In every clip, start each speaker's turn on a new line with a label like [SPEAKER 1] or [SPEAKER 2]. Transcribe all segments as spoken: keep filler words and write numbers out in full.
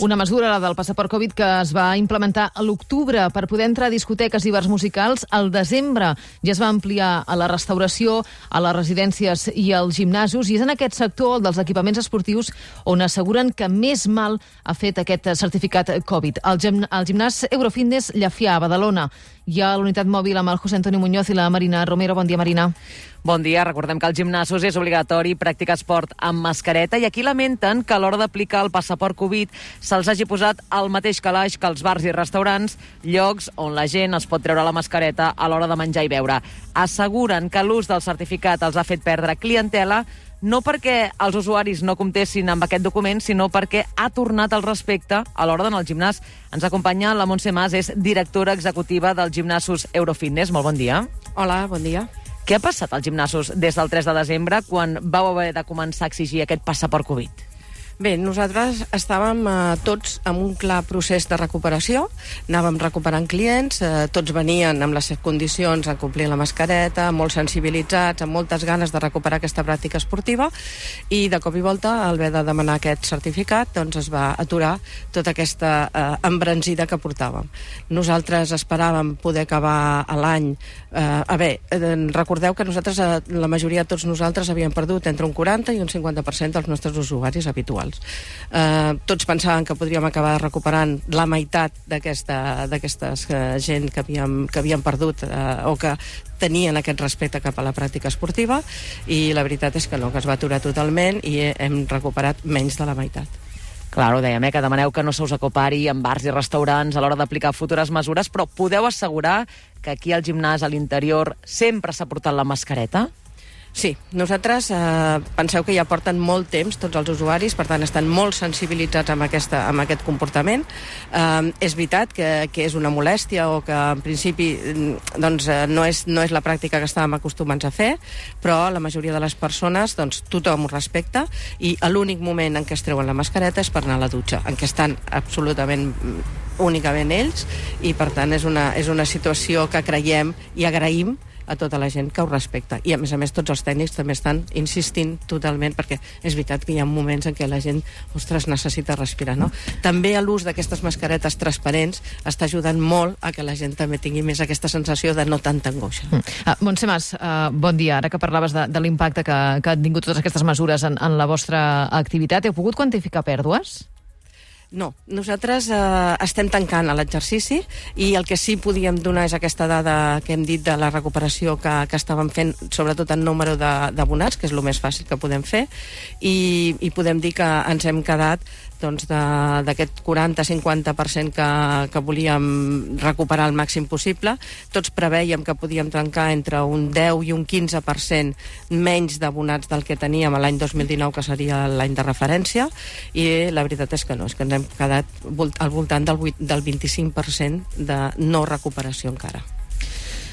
[SPEAKER 1] Una mesura, la del passaport Covid, que es va implementar a l'octubre per poder entrar a discoteques i bars musicals. Al desembre ja es va ampliar a la restauració, a les residències i als gimnasos, i és en aquest sector, el dels equipaments esportius, on asseguren que més mal ha fet aquest certificat Covid. Al gim al gimnàs Eurofitness Llafià, a Badalona, hi ha la unitat mòbil amb el José Antonio Muñoz i la Marina Romero. Bon dia, Marina.
[SPEAKER 2] Bon dia. Recordem que als gimnasos és obligatori practicar esport amb mascareta i aquí lamenten que a l'hora d'aplicar el passaport Covid se'ls hagi posat al mateix calaix que els bars i restaurants, llocs on la gent es pot treure la mascareta a l'hora de menjar i beure. Asseguren que l'ús del certificat els ha fet perdre clientela, no perquè els usuaris no comptessin amb aquest document, sinó perquè ha tornat el respecte a l'hora d'anar al gimnàs. Ens acompanya la Montse Mas, és directora executiva dels gimnasos Eurofitness. Molt bon dia.
[SPEAKER 3] Hola, bon dia.
[SPEAKER 2] Què ha passat als gimnasos des del tres de desembre, quan vau haver de començar a exigir aquest passaport Covid?
[SPEAKER 3] Bé, nosaltres estàvem eh, tots en un clar procés de recuperació, anàvem recuperant clients, eh, tots venien amb les condicions a complir la mascareta, molt sensibilitzats, amb moltes ganes de recuperar aquesta pràctica esportiva, i de cop i volta, al haver de demanar aquest certificat, doncs es va aturar tota aquesta eh, embranzida que portàvem. Nosaltres esperàvem poder acabar l'any. Eh, a veure, eh, recordeu que nosaltres, eh, la majoria de tots nosaltres, havíem perdut entre un quaranta i un cinquanta per cent dels nostres usuaris habituals. Uh, tots pensaven que podríem acabar recuperant la meitat d'aquesta d'aquestes uh, gent que havíem, que havíem perdut uh, o que tenien aquest respecte cap a la pràctica esportiva, i la veritat és que no, que es va aturar totalment i hem recuperat menys de la meitat.
[SPEAKER 2] Clar, ho dèiem, eh, que demaneu que no se us acopari en bars i restaurants a l'hora d'aplicar futures mesures, però podeu assegurar que aquí al gimnàs, a l'interior, sempre s'ha portat la mascareta?
[SPEAKER 3] Sí, nosaltres eh, penseu que ja porten molt temps tots els usuaris, per tant estan molt sensibilitzats amb, aquesta, amb aquest comportament. Eh, és veritat que, que és una molèstia o que en principi doncs, no, és, no és la pràctica que estàvem acostumats a fer, però la majoria de les persones, doncs, tothom ho respecta, i l'únic moment en què es treuen la mascareta és per anar a la dutxa, en què estan absolutament únicament ells, i per tant és una, és una situació que creiem i agraïm a tota la gent que ho respecta. I a més a més tots els tècnics també estan insistint totalment, perquè és veritat que hi ha moments en què la gent, ostres, necessita respirar, no? També l'ús d'aquestes mascaretes transparents està ajudant molt a que la gent també tingui més aquesta sensació de no tanta angoixa.
[SPEAKER 1] Mm. Uh, Montse Mas, uh, bon dia. Ara que parlaves de, de l'impacte que, que han tingut totes aquestes mesures en, en la vostra activitat, heu pogut quantificar pèrdues?
[SPEAKER 3] No, nosaltres eh, estem tancant a l'exercici, i el que sí podíem donar és aquesta dada que hem dit de la recuperació que, que estàvem fent, sobretot en número d'abonats, que és el més fàcil que podem fer, i, i podem dir que ens hem quedat doncs, d'aquest quaranta a cinquanta per cent que, que volíem recuperar el màxim possible. Tots preveiem que podíem trencar entre un deu i un quinze per cent menys d'abonats del que teníem l'any dos mil dinou, que seria l'any de referència, i la veritat és que no, és que ens hem quedat al voltant del, del vint-i-cinc per cent de no recuperació encara.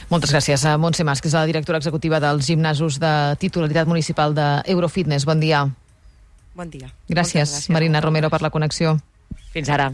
[SPEAKER 1] Moltes gràcies a Montse Mas, que és la directora executiva dels gimnasos de titularitat municipal d'Eurofitness. Bon dia.
[SPEAKER 3] Bon dia.
[SPEAKER 1] Gràcies, gràcies, Marina Romero, per la connexió.
[SPEAKER 2] Fins ara.